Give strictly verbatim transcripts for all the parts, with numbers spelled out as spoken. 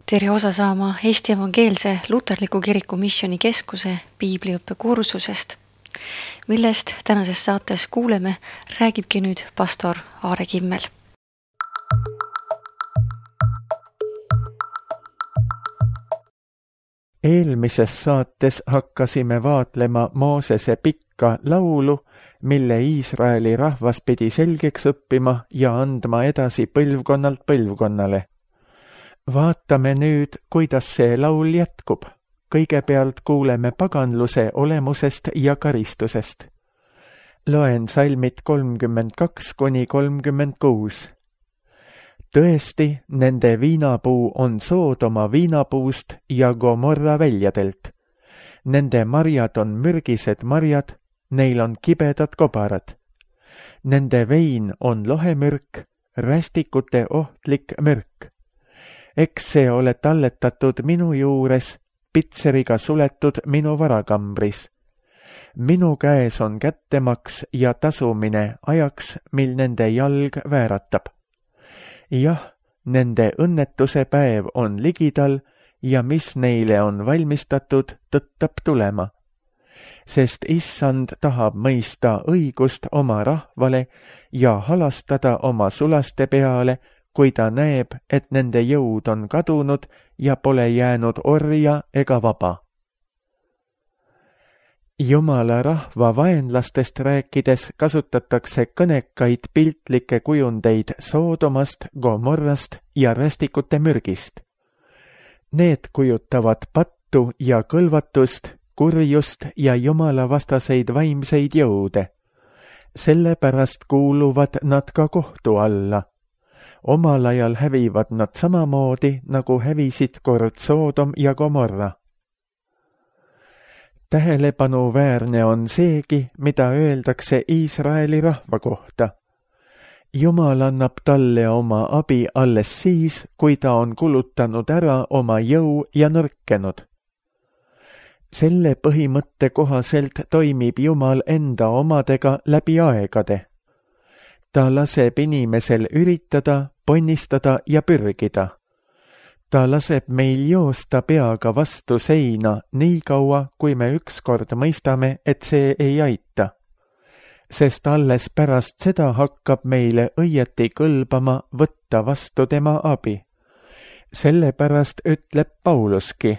tere osa saama Eesti Evangeelse Luterliku Kiriku Missioni Keskuse piibliõppe kursusest, millest tänases saates kuuleme, räägibki nüüd pastor Aare Kimmel. Eelmises saates hakkasime vaatlema Moosese pikka laulu, mille Iisraeli rahvas pidi selgeks õppima ja andma edasi põlvkonnalt põlvkonnale. Vaatame nüüd, kuidas see laul jätkub. Kõigepealt kuuleme paganluse olemusest ja karistusest. Loen salmid kolmkümmend kaks kuni kolmkümmend kuus. Tõesti, nende viinapuu on Soodoma viinapuust ja Gomorra väljadelt. Nende marjad on mürgised marjad, neil on kibedad kobarad. Nende vein on lohemürk, rästikute ohtlik mürk. Eks see ole talletatud minu juures, pitseriga suletud minu varakambris. Minu käes on kättemaks ja tasumine ajaks, mil nende jalg vääratab. Jah, nende õnnetuse päev on ligidal ja mis neile on valmistatud, tõttab tulema. Sest issand tahab mõista õigust oma rahvale ja halastada oma sulaste peale, kui ta näeb, et nende jõud on kadunud ja pole jäänud orja ega vaba. Jumala rahva vaenlastest rääkides kasutatakse kõnekaid piltlikke kujundeid Soodomast, Gomorrast ja rästikute mürgist. Need kujutavad pattu ja kõlvatust, kurjust ja Jumala vastaseid vaimseid jõude. Sellepärast kuuluvad nad ka kohtu alla. Omal ajal hävivad nad samamoodi, nagu hävisid kord Soodom ja Gomorra. Tähelepanuväärne on seegi, mida öeldakse Iisraeli rahva kohta. Jumal annab talle oma abi alles siis, kui ta on kulutanud ära oma jõu ja nõrkenud. Selle põhimõtte kohaselt toimib Jumal enda omadega läbi aegade. Ta laseb inimesel üritada, ponnistada ja pürgida. Ta laseb meil joosta peaga vastu seina nii kaua, kui me ükskord mõistame, et see ei aita. Sest alles pärast seda hakkab meile õieti kõlbama võtta vastu tema abi. Sellepärast ütleb Pauluski,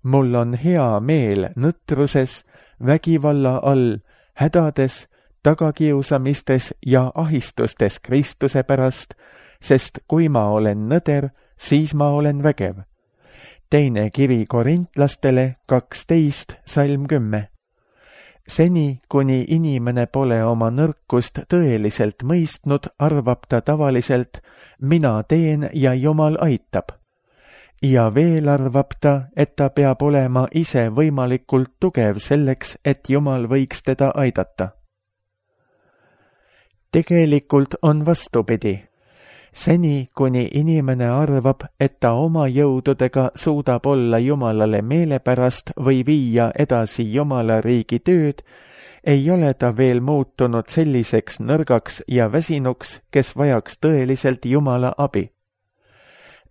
mul on hea meel nõtruses, vägivalla all, hädades, tagakiusamistes ja ahistustes Kristuse pärast, sest kui ma olen nõder, siis ma olen vägev. Teine kiri korintlastele kaksteist salm kümme. Seni, kuni inimene pole oma nõrkust tõeliselt mõistnud, arvab ta tavaliselt, mina teen ja Jumal aitab. Ja veel arvab ta, et ta peab olema ise võimalikult tugev selleks, et Jumal võiks teda aidata. Tegelikult on vastupidi. Seni, kuni inimene arvab, et ta oma jõududega suudab olla Jumalale meelepärast või viia edasi Jumala riigi tööd, ei ole ta veel muutunud selliseks nõrgaks ja väsinuks, kes vajaks tõeliselt Jumala abi.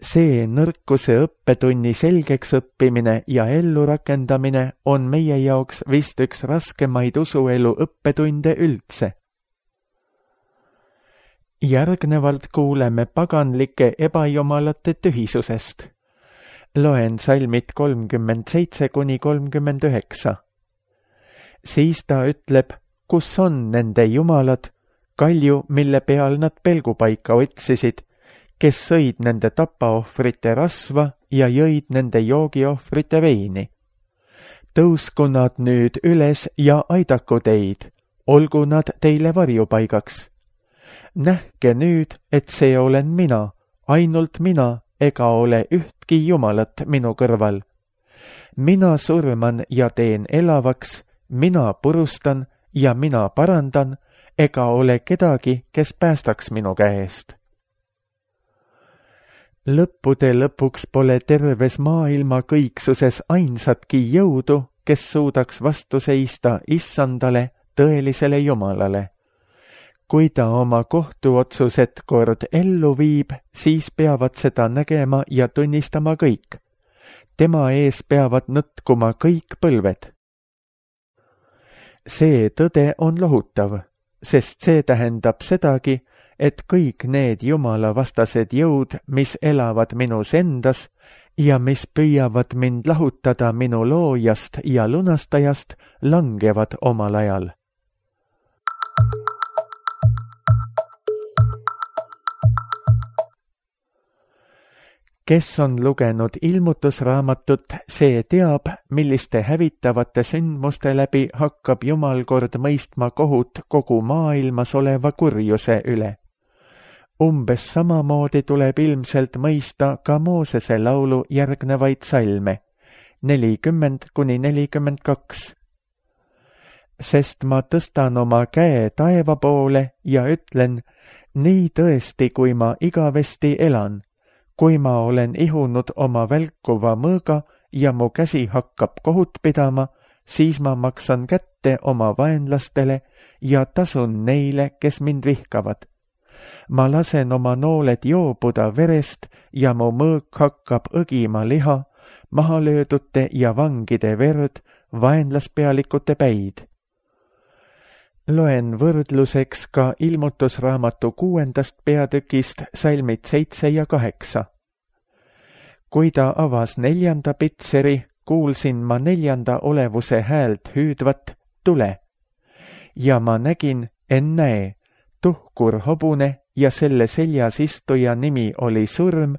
See nõrkuse õppetunni selgeks õppimine ja ellu rakendamine on meie jaoks vist üks raskemaid usuelu õppetunde üldse. Järgnevalt kuuleme paganlike ebajumalate tühisusest. Loen salmid kolmkümmend seitse kuni kolmkümmend üheksa. Siis ta ütleb, kus on nende jumalad, kalju, mille peal nad pelgupaika otsisid, kes sõid nende tapaohvrite rasva ja jõid nende joogiohvrite veini. Tõusku nad nüüd üles ja aidaku teid, olgu nad teile varjupaigaks. Nähke nüüd, et see olen mina, ainult mina, ega ole ühtki jumalat minu kõrval. Mina surman ja teen elavaks, mina purustan ja mina parandan, ega ole kedagi, kes päästaks minu käest. Lõppude lõpuks pole terves maailma kõiksuses ainsatki jõudu, kes suudaks vastu seista issandale, tõelisele Jumalale. kui ta oma kohtuotsused kord ellu viib, siis peavad seda nägema ja tunnistama kõik. Tema ees peavad nõtkuma kõik põlved. See tõde on lohutav, sest see tähendab sedagi, et kõik need Jumala vastased jõud, mis elavad minus endas ja mis püüavad mind lahutada minu loojast ja lunastajast, langevad omal ajal. Kes on lugenud ilmutusraamatut, see teab, milliste hävitavate sündmuste läbi hakkab Jumal kord mõistma kohut kogu maailmas oleva kurjuse üle. Umbes samamoodi tuleb ilmselt mõista ka Moosese laulu järgnevaid salme, nelikümmend kuni nelikümmend kaks. Sest ma tõstan oma käe taeva poole ja ütlen, nii tõesti, kui ma igavesti elan, kui ma olen ihunud oma välkuva mõõga ja mu käsi hakkab kohut pidama, siis ma maksan kätte oma vaenlastele ja tasun neile, kes mind vihkavad. Ma lasen oma nooled joobuda verest ja mu mõõg hakkab õgima liha, mahalöödute ja vangide verd, vaenlaspealikute päid. Loen võrdluseks ka ilmutusraamatu kuuendast peatükist salmid seitse ja kaheksa. Kui ta avas neljanda pitseri, kuulsin ma neljanda olevuse häält hüüdvat tule. Ja ma nägin, ennäe, tuhkur hobune ja selle seljas istuja nimi oli surm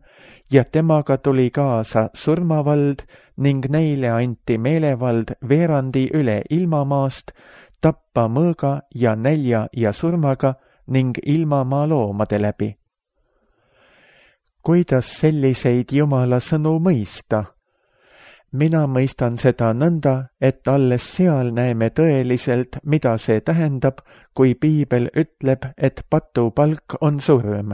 ja temaga tuli kaasa surmavald ning neile anti meelevald veerandi üle ilmamaast, tappa mõõga ja nälja ja surmaga ning ilmamaa loomade läbi. Kuidas selliseid Jumala sõnu mõista? Mina mõistan seda nõnda, et alles seal näeme tõeliselt, mida see tähendab, kui Piibel ütleb, et patupalk on surm.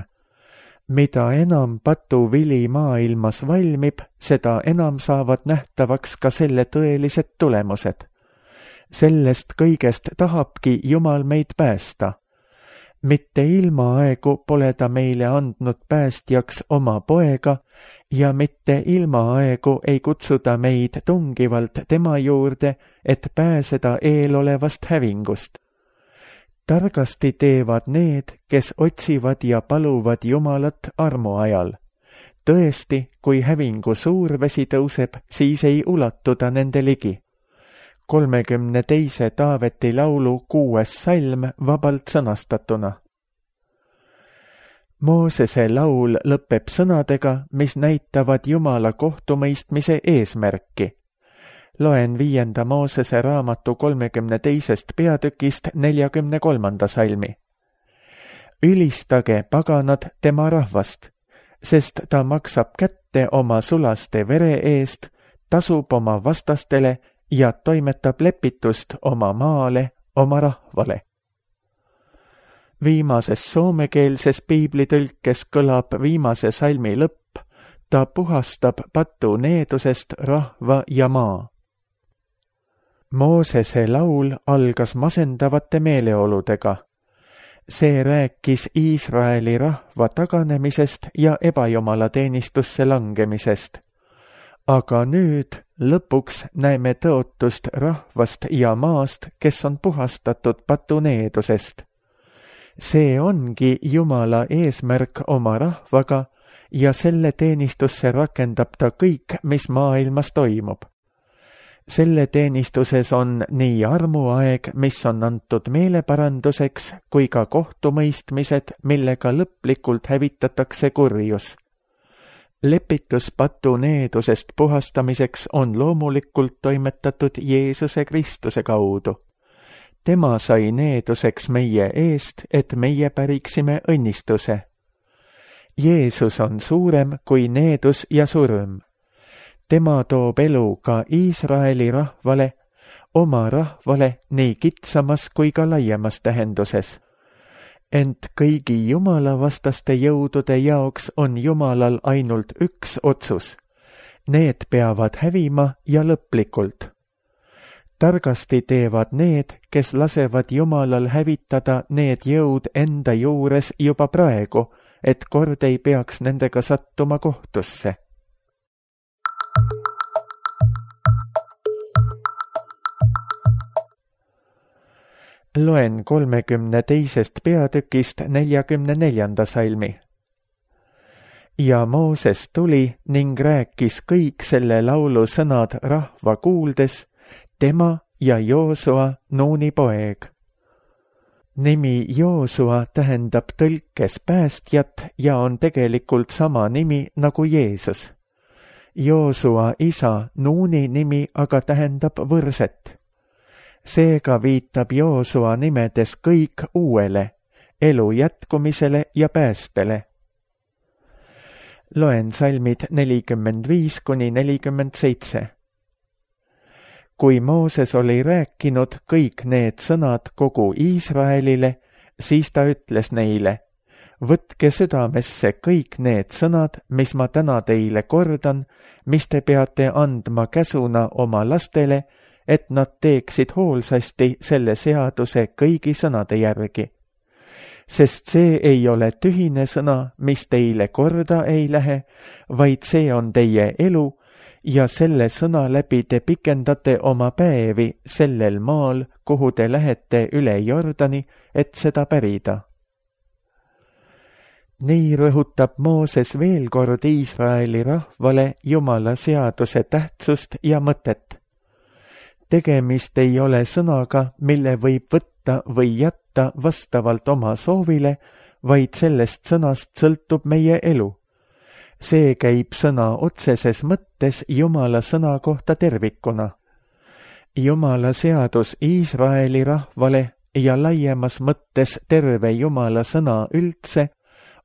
Mida enam patuvili maailmas valmib, seda enam saavad nähtavaks ka selle tõelised tulemused. Sellest kõigest tahabki Jumal meid päästa. Mitte ilmaaegu pole ta meile andnud päästjaks oma poega ja mitte ilmaaegu ei kutsuda meid tungivalt tema juurde, et pääseda eelolevast hävingust. Targasti teevad need, kes otsivad ja paluvad Jumalat armu ajal. Tõesti, kui hävingu suur vesi tõuseb, siis ei ulatuda nende ligi. kolmekümne teise Taaveti laulu kuues salm vabalt sõnastatuna. Moosese laul lõpeb sõnadega, mis näitavad Jumala kohtumõistmise eesmärki. Loen viienda Moosese raamatu kolmekümne teisest peatükist neljakümne kolmanda salmi. Ülistage, paganad, tema rahvast, sest ta maksab kätte oma sulaste vere eest, tasub oma vastastele ja toimetab lepitust oma maale, oma rahvale. Viimases soomekeelses piiblitõlkes kõlab viimase salmi lõpp, ta puhastab patu needusest rahva ja maa. Moosese laul algas masendavate meeleoludega. See rääkis Iisraeli rahva taganemisest ja ebajumalateenistussse langemisest. Aga nüüd lõpuks näeme tõotust rahvast ja maast, kes on puhastatud patuneedusest. See ongi Jumala eesmärk oma rahvaga ja selle teenistusse rakendab ta kõik, mis maailmas toimub. Selle teenistuses on nii armuaeg, mis on antud meeleparanduseks, kui ka kohtumõistmised, millega lõplikult hävitatakse kurjus. Lepitus patuneedusest puhastamiseks on loomulikult toimetatud Jeesuse Kristuse kaudu. Tema sai needuseks meie eest, et meie päriksime õnnistuse. Jeesus on suurem kui needus ja surm. Tema toob elu ka Iisraeli rahvale, oma rahvale nii kitsamas kui ka laiemas tähenduses. Ent kõigi Jumala vastaste jõudude jaoks on Jumalal ainult üks otsus. Need peavad hävima ja lõplikult. targasti teevad need, kes lasevad Jumalal hävitada need jõud enda juures juba praegu, et kord ei peaks nendega sattuma kohtusse. Loen kolmekümne teisest peatükist neljakümne neljanda salmi. Ja Mooses tuli ning rääkis kõik selle laulu sõnad rahva kuuldes, tema ja Joosua, Nuuni poeg. Nimi Joosua tähendab tõlkes päästjat ja on tegelikult sama nimi nagu Jeesus. Joosua isa Nuuni nimi aga tähendab võrset. Seega viitab Joosua nimedes kõik uuele, elu jätkumisele ja päästele. Loen salmid nelikümmend viis kuni nelikümmend seitse. Kui Mooses oli rääkinud kõik need sõnad kogu Iisraelile, siis ta ütles neile, võtke südamesse kõik need sõnad, mis ma täna teile kordan, mis te peate andma käsuna oma lastele, et nad teeksid hoolsasti selle seaduse kõigi sõnade järgi. Sest see ei ole tühine sõna, mis teile korda ei lähe, vaid see on teie elu ja selle sõna läbi te pikendate oma päevi sellel maal, kuhu te lähete üle Jordani, et seda pärida. Nii rõhutab Mooses veel kord Iisraeli rahvale Jumala seaduse tähtsust ja mõtet. Tegemist ei ole sõnaga, mille võib võtta või jätta vastavalt oma soovile, vaid sellest sõnast sõltub meie elu. See käib sõna otseses mõttes Jumala sõna kohta tervikuna. Jumala seadus Iisraeli rahvale ja laiemas mõttes terve Jumala sõna üldse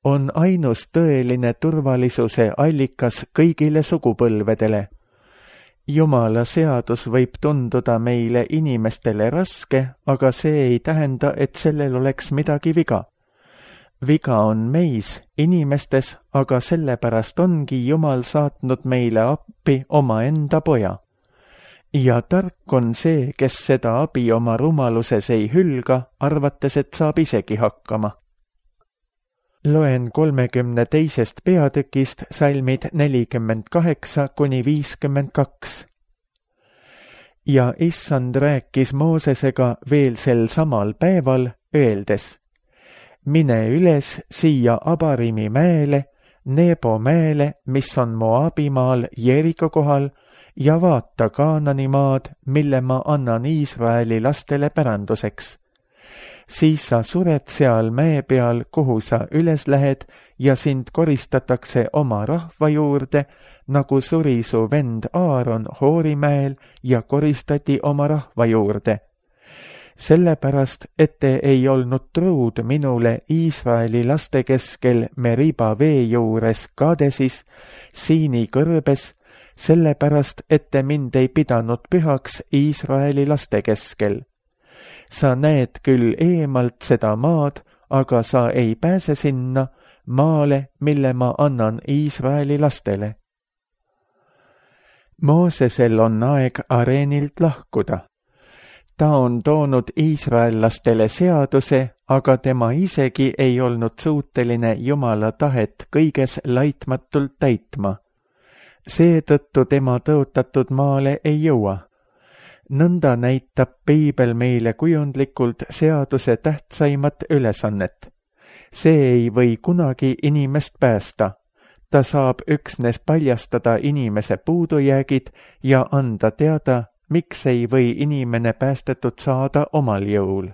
on ainus tõeline turvalisuse allikas kõigile sugupõlvedele. Jumala seadus võib tunduda meile inimestele raske, aga see ei tähenda, et sellel oleks midagi viga. Viga on meis, inimestes, aga sellepärast ongi Jumal saatnud meile appi omaenda poja. Ja tark on see, kes seda abi oma rumaluses ei hülga, arvates, et saab isegi hakkama. Loen kolmekümne teisest peatükist salmid nelikümmend kaheksa kuni viiskümmend kaks. Ja Issand rääkis Moosesega veel sel samal päeval, öeldes, mine üles siia Abarimi mäele, Nebo mäele, mis on Moabimaal Jeriko kohal, ja vaata Kaanani maad, mille ma annan Iisraeli lastele päranduseks. Siis sa sured seal mäe peal, kuhu sa üles lähed, ja sind koristatakse oma rahva juurde, nagu suri su vend Aaron Hoorimäel ja koristati oma rahva juurde. Sellepärast, et te ei olnud truud minule Iisraeli laste keskel Meriba vee juures Kadesis, Siini kõrbes, sellepärast, et te mind ei pidanud pühaks Iisraeli laste keskel. Sa näed küll eemalt seda maad, aga sa ei pääse sinna maale, mille ma annan Iisraeli lastele. Moosesel on aeg areenilt lahkuda. Ta on toonud iisraellastele seaduse, aga tema isegi ei olnud suuteline Jumala tahet kõiges laitmatult täitma. Seetõttu tema tõotatud maale ei jõua. Nõnda näitab Piibel meile kujundlikult seaduse tähtsaimat ülesannet. See ei või kunagi inimest päästa. Ta saab üksnes paljastada inimese puudujäägid ja anda teada, miks ei või inimene päästetud saada omal jõul.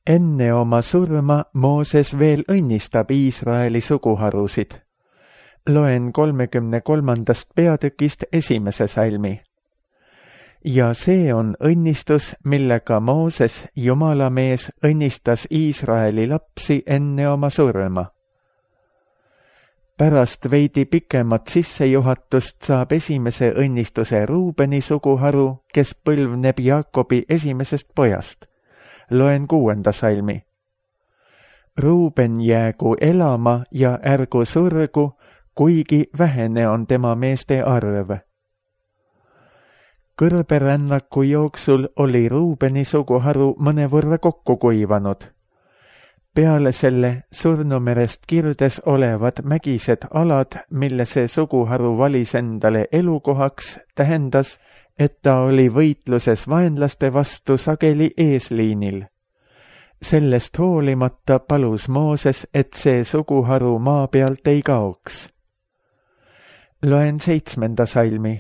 Enne oma surma Mooses veel õnnistab Iisraeli suguharusid. Loen kolmekümne kolmandast peatükist esimese salmi. Ja see on õnnistus, millega Mooses, Jumala mees, õnnistas Iisraeli lapsi enne oma surma. Pärast veidi pikemat sissejuhatust saab esimese õnnistuse Ruubeni suguharu, kes põlvneb Jaakobi esimesest pojast. Loen kuuenda salmi. Ruuben jäägu elama ja ärgu surgu, kuigi vähene on tema meeste arv. Kõrberännaku jooksul oli Ruubeni suguharu mõnevõrra kokku kuivanud. Peale selle Surnumerest kirdes olevad mägised alad, mille see suguharu valis endale elukohaks, tähendas, et ta oli võitluses vaenlaste vastu sageli eesliinil. Sellest hoolimata palus Mooses, et see suguharu maa pealt ei kaoks. Loen seitsmenda salmi.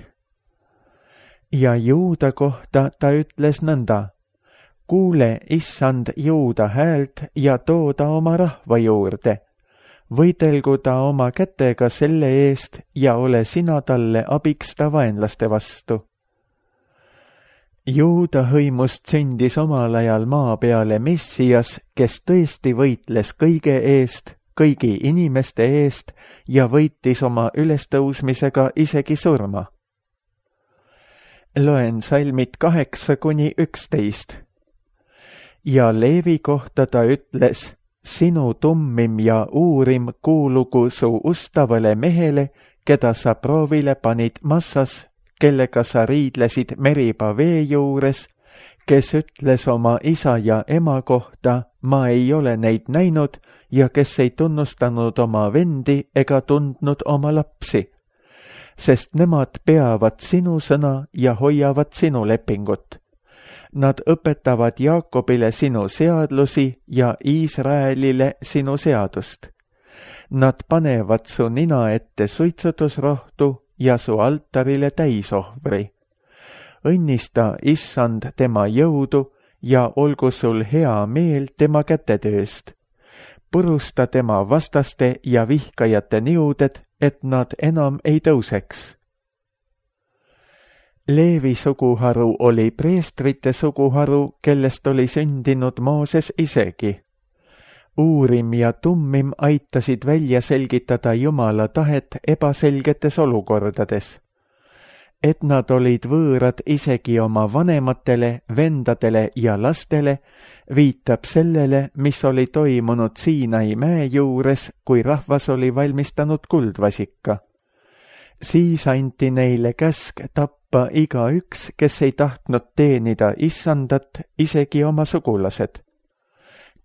Ja Juuda kohta ta ütles nõnda: kuule, issand, Juuda häält ja too ta oma rahva juurde. Võidelgu ta oma kätega selle eest ja ole sina talle abiks ta vaenlaste vastu. Juuda hõimust sündis omal ajal maa peale Messias, kes tõesti võitles kõige eest, kõigi inimeste eest ja võitis oma ülestõusmisega isegi surma. Loen salmid kaheksa kuni üksteist. Ja Leevi kohta ta ütles: sinu tummim ja uurim kuulugu su ustavale mehele, keda sa proovile panid Massas, kellega sa riidlesid Meriba vee juures, kes ütles oma isa ja ema kohta: ma ei ole neid näinud, ja kes ei tunnustanud oma vendi ega tundnud oma lapsi, sest nemad peavad sinu sõna ja hoiavad sinu lepingut. Nad õpetavad Jaakobile sinu seadlusi ja Iisraelile sinu seadust. Nad panevad su nina ette suitsutusrohtu ja su altarile täisohvri. Õnnista issand tema jõudu ja olgu sul hea meel tema kätetööst. Purusta tema vastaste ja vihkajate niuded, et nad enam ei tõuseks. Leevi suguharu oli preestrite suguharu, kellest oli sündinud Mooses isegi. Uurim ja tummim aitasid välja selgitada Jumala tahet ebaselgetes olukordades. Et nad olid võõrad isegi oma vanematele, vendadele ja lastele, viitab sellele, mis oli toimunud Siinai mäe juures, kui rahvas oli valmistanud kuldvasika. Siis anti neile käsk tappa igaüks, kes ei tahtnud teenida issandat, isegi oma sugulased.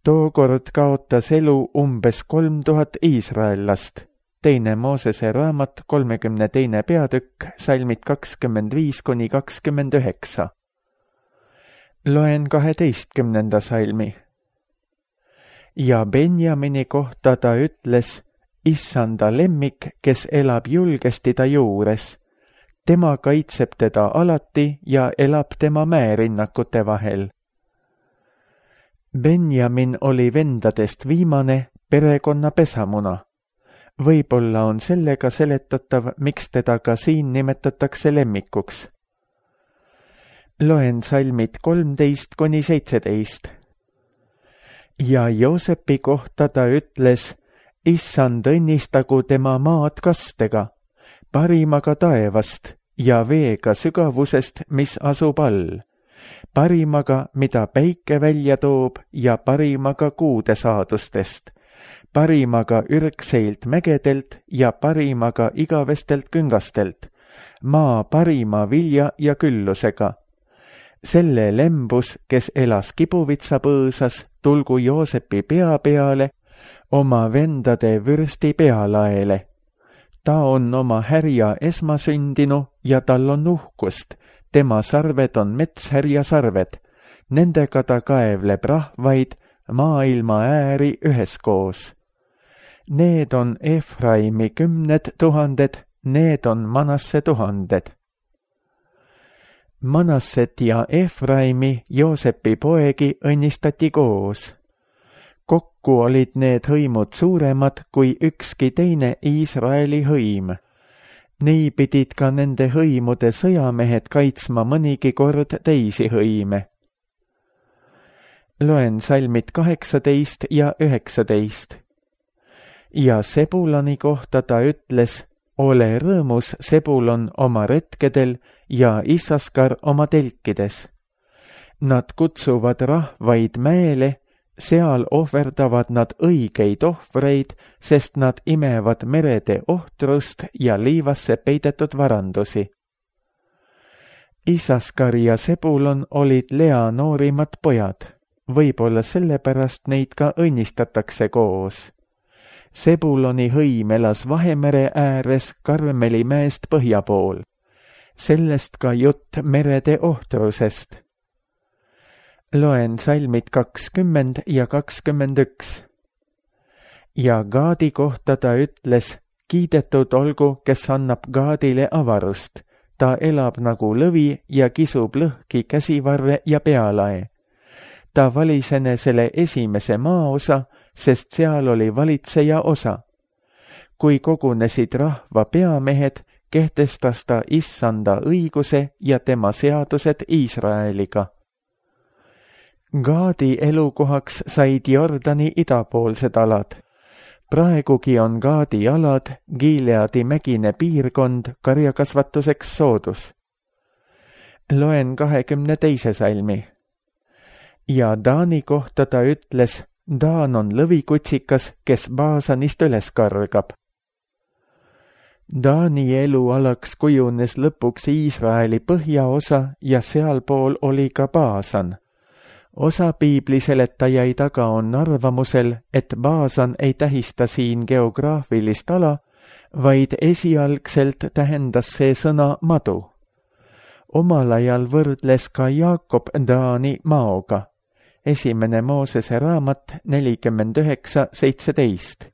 Tookord kaotas elu umbes kolm tuhat iisraellast. Teine Moosese raamat, kolmekümne teine peatükk, salmid kakskümmend viis kuni kakskümmend üheksa. Loen kaheteistkümnenda salmi. Ja Benjamini kohta ta ütles: issanda lemmik, kes elab julgesti ta juures. Tema kaitseb teda alati ja elab tema mäerinnakute vahel. Benjamin oli vendadest viimane, perekonna pesamuna. Võib-olla on sellega seletatav, miks teda ka siin nimetatakse lemmikuks. Loen salmid kolmteist kuni seitseteist. Ja Joosepi kohta ta ütles: issand õnnistagu tema maad kastega, parimaga taevast ja veega sügavusest, mis asub all, parimaga, mida päike välja toob ja parimaga kuude saadustest, parimaga ürgseilt mägedelt ja parimaga igavestelt küngastelt, maa parima vilja ja küllusega. Selle lembus, kes elas kibuvitsa põõsas, tulgu Joosepi pea peale, oma vendade vürsti pealaele. Ta on oma härja esmasündinu ja tal on uhkust, tema sarved on metshärja sarved, nendega ta kaevleb rahvaid, maailma ääri üheskoos. Need on Efraimi kümned tuhanded, need on Manasse tuhanded. Manasset ja Efraimi, Joosepi poegi, õnnistati koos. Kokku olid need hõimud suuremad kui ükski teine Iisraeli hõim. Nii pidid ka nende hõimude sõjamehed kaitsma mõnigi kord teisi hõime. Loen salmid kaheksateist ja üheksateist. Ja Sebulani kohta ta ütles: ole rõõmus, Sebulon, oma retkedel ja Issaskar oma telkides. Nad kutsuvad rahvaid mäele, seal ohverdavad nad õigeid ohvreid, sest nad imevad merede ohtrust ja liivasse peidetud varandusi. Isaskar ja Sebulon olid Lea noorimad pojad, võib-olla sellepärast neid ka õnnistatakse koos. Sebuloni hõim elas Vahemere ääres Karmeli mäest põhja pool. Sellest ka jutt merede ohtrusest. Loen salmid kakskümmend ja kakskümmend üks. Ja Gaadi kohta ta ütles, kiidetud olgu, kes annab Gaadile avarust. Ta elab nagu lõvi ja kisub lõhki käsivarre ja pealae. Ta valis enesele esimese maaosa, sest seal oli valitseja osa. Kui kogunesid rahva peamehed, kehtestas ta issanda õiguse ja tema seadused Iisraeliga. Gaadi elukohaks said Jordani idapoolsed alad. Praegugi on Gaadi alad Gileadi mägine piirkond karjakasvatuseks soodus. Loen kahekümne teise salmi. Ja Daani kohta ta ütles, Daan on lõvikutsikas, kes Baasanist üles kargab. Daani elualaks kujunes lõpuks Iisraeli põhjaosa ja sealpool oli ka Baasan. Osa piibliseletajaid aga on arvamusel, et Baasan ei tähista siin geograafilist ala, vaid esialgselt tähendas see sõna madu. Omal ajal võrdles ka Jaakob Daani maoga. Esimene Moosese raamat nelikümmend üheksa seitseteist.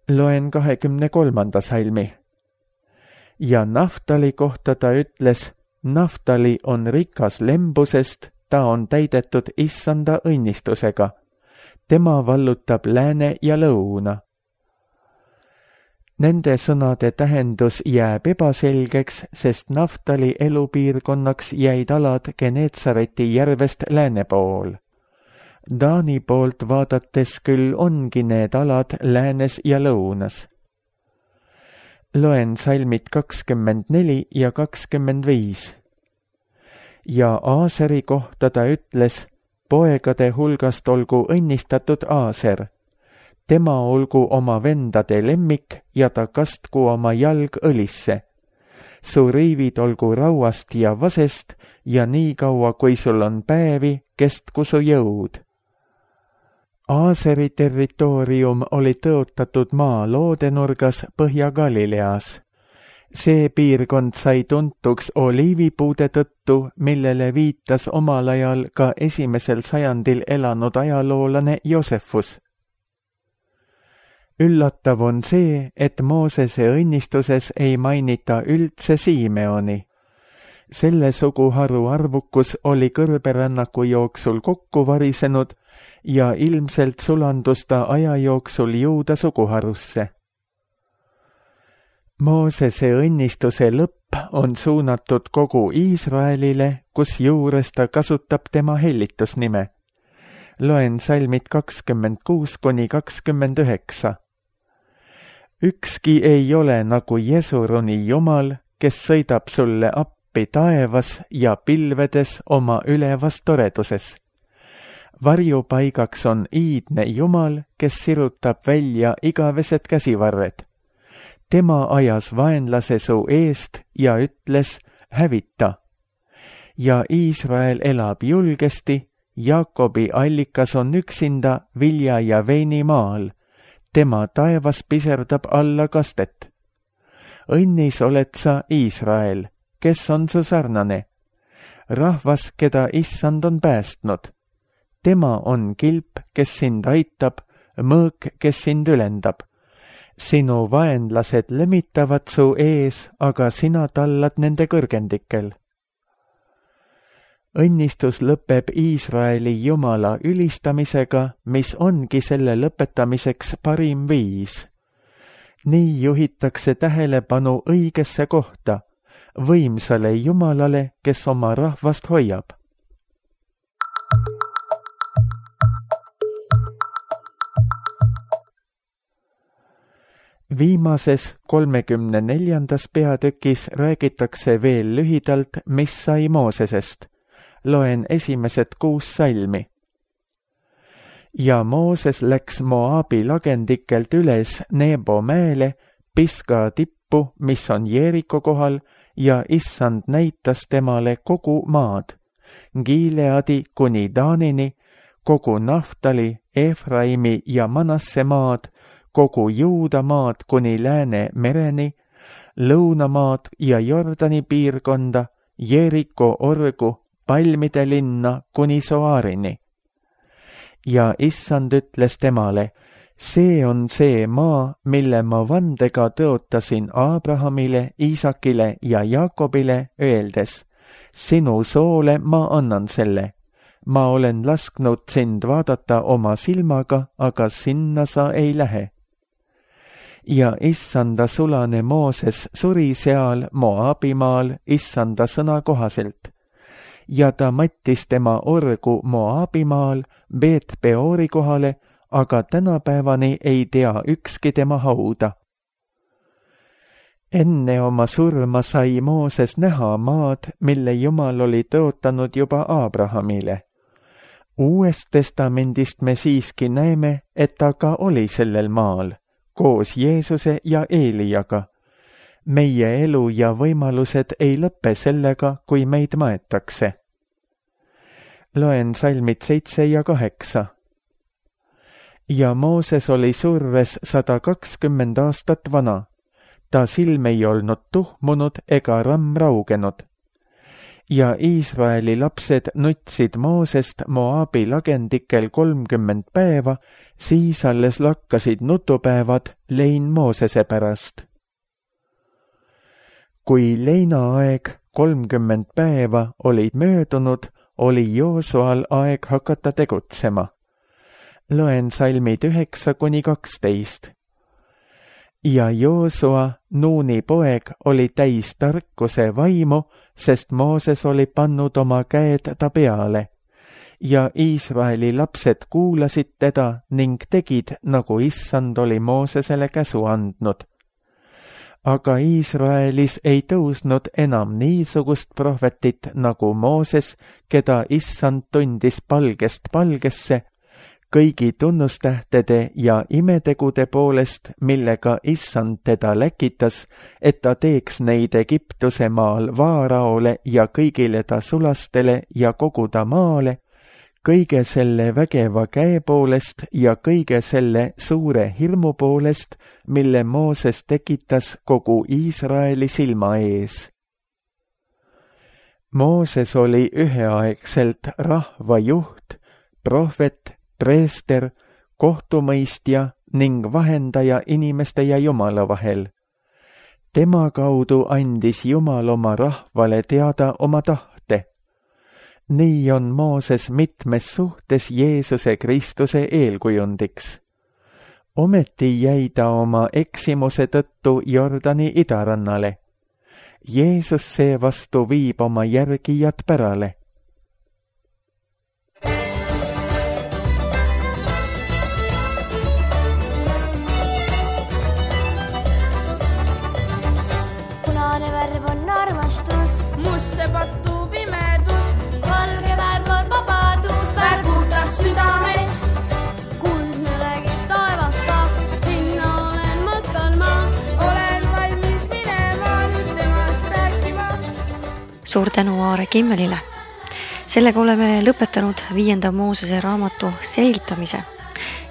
Loen kahekümne kolmanda salmi. Ja Naftali kohta ta ütles, Naftali on rikas lembusest, ta on täidetud issanda õnnistusega. Tema vallutab lääne ja lõuna. Nende sõnade tähendus jääb ebaselgeks, sest Naftali elupiirkonnaks jäid alad Geneetsareti järvest lääne pool. Daani poolt vaadates küll ongi need alad läänes ja lõunas. Loen salmid kakskümmend neli ja kakskümmend viis. Ja Aaseri kohta ta ütles, poegade hulgast olgu õnnistatud Aaser. Tema olgu oma vendade lemmik ja ta kastku oma jalg õlisse. Su riivid olgu rauast ja vasest ja nii kaua, kui sul on päevi, kestku su jõud. Aaseri territoorium oli tõotatud maa loodenurgas Põhja-Galileas. See piirkond sai tuntuks oliivipuude tõttu, millele viitas omal ajal ka esimesel sajandil elanud ajaloolane Josefus. Üllatav on see, et Moosese õnnistuses ei mainita üldse Siimeoni. Selle suguharu arvukus oli kõrberännaku jooksul kokku varisenud ja ilmselt sulandus ta aja jooksul Juuda suguharusse. Moosese õnnistuse lõpp on suunatud kogu Iisraelile, kus juures ta kasutab tema hellitusnime. Loen salmid kakskümmend kuus kuni kakskümmend üheksa. Ükski ei ole nagu Jesuruni Jumal, kes sõidab sulle appi taevas ja pilvedes oma ülevas toreduses. Varjupaigaks on iidne Jumal, kes sirutab välja igavesed käsivarred. Tema ajas vaenlase su eest ja ütles, hävita. Ja Iisrael elab julgesti, Jaakobi allikas on üksinda vilja ja veini maal. Tema taevas piserdab alla kastet. Õnnis oled sa, Iisrael, kes on su sarnane. Rahvas, keda issand on päästnud. Tema on kilp, kes sind aitab, mõõk, kes sind ülendab. Sinu vaenlased lemitavad su ees, aga sina tallad nende kõrgendikel. Õnnistus lõpeb Iisraeli Jumala ülistamisega, mis ongi selle lõpetamiseks parim viis. Nii juhitakse tähelepanu õigesse kohta, võimsale Jumalale, kes oma rahvast hoiab. Viimases kolmekümne neljandas peatükis räägitakse veel lühidalt, mis sai Moosesest. Loen esimesed kuus salmi. Ja Mooses läks Moabi lagendikelt üles Nebo mäele, Piska tippu, mis on Jeeriko kohal, ja issand näitas temale kogu maad, Gileadi kuni Taanini, kogu Naftali, Efraimi ja Manasse maad, kogu Juuda maad kuni Lääne mereni, lõunamaad ja Jordani piirkonda, Jeriko orgu, palmide linna kuni Soarini. Ja issand ütles temale, see on see maa, mille ma vandega tõotasin Abrahamile, Iisakile ja Jaakobile, öeldes, sinu soole ma annan selle. Ma olen lasknud sind vaadata oma silmaga, aga sinna sa ei lähe. Ja issanda sulane Mooses suri seal Moabimaal issanda sõna kohaselt. Ja ta mattis tema orgu Moabimaal Beet Peori kohale, aga tänapäevani ei tea ükski tema hauda. Enne oma surma sai Mooses näha maad, mille Jumal oli tõotanud juba Abrahamile. Uuest testamendist me siiski näeme, et ta ka oli sellel maal, koos Jeesuse ja Eeliaga. Meie elu ja võimalused ei lõppe sellega, kui meid maetakse. Loen salmid seitse ja kaheksa. Ja Mooses oli surves sada kakskümmend aastat vana. Ta silm ei olnud tuhmunud ega ramm raugenud. Ja Iisraeli lapsed nutsid Moosest Moabi lagendikel kolmkümmend päeva, siis alles lakkasid nutupäevad lein Moosese pärast. Kui leinaaeg kolmkümmend päeva olid möödunud, oli Joosual aeg hakata tegutsema. Loen salmid üheksa kuni kaksteist. Ja Joosua, Nuuni poeg, oli täis tarkuse vaimu, sest Mooses oli pannud oma käed ta peale. Ja Iisraeli lapsed kuulasid teda ning tegid, nagu issand oli Moosesele käsu andnud. Aga Iisraelis ei tõusnud enam niisugust prohvetit nagu Mooses, keda issand tundis palgest palgesse, kõigi tunnustähtede ja imetegude poolest, millega issand teda läkitas, et ta teeks neid Egiptuse maal Vaaraole ja kõigile ta sulastele ja kogu ta maale, kõige selle vägeva käe poolest ja kõige selle suure hirmu poolest, mille Mooses tekitas kogu Iisraeli silma ees. Mooses oli üheaegselt rahva juht, prohvet, preester, kohtumõistja ning vahendaja inimeste ja Jumala vahel. Tema kaudu andis Jumal oma rahvale teada oma tahte. Nii on Mooses mitmes suhtes Jeesuse Kristuse eelkujundiks. Ometi jäi ta oma eksimuse tõttu Jordani idarannale. Jeesus seevastu viib oma järgijad pärale. Musse pattuu pimedus, valge värv on vabadus, värv puhtast südamest. Kuldne räägib taevast ka, sinna olen matkal ma, olen valmis minema nüüd temast rääkima. Suur tänu Aare Kimmelile. Sellega oleme lõpetanud viienda Moosese raamatu selgitamise.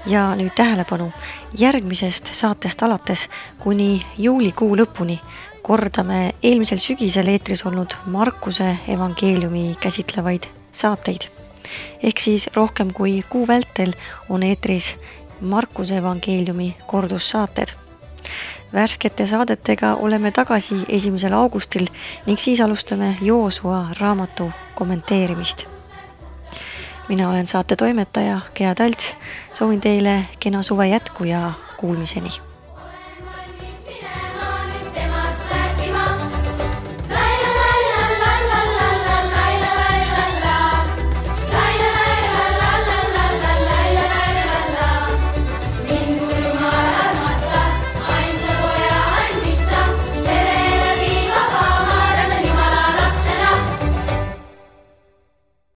Ja nüüd tähelepanu, järgmisest saatest alates kuni juulikuu lõpuni kordame eelmisel sügisel eetris olnud Markuse evangeeliumi käsitlevaid saateid. Ehk siis rohkem kui kuu vältel on eetris Markuse evangeeliumi kordussaated. Värskete saadetega oleme tagasi esimesel augustil ning siis alustame Joosua raamatu kommenteerimist. Mina olen saate toimetaja Gea Talts, soovin teile kena suve jätku ja kuulmiseni.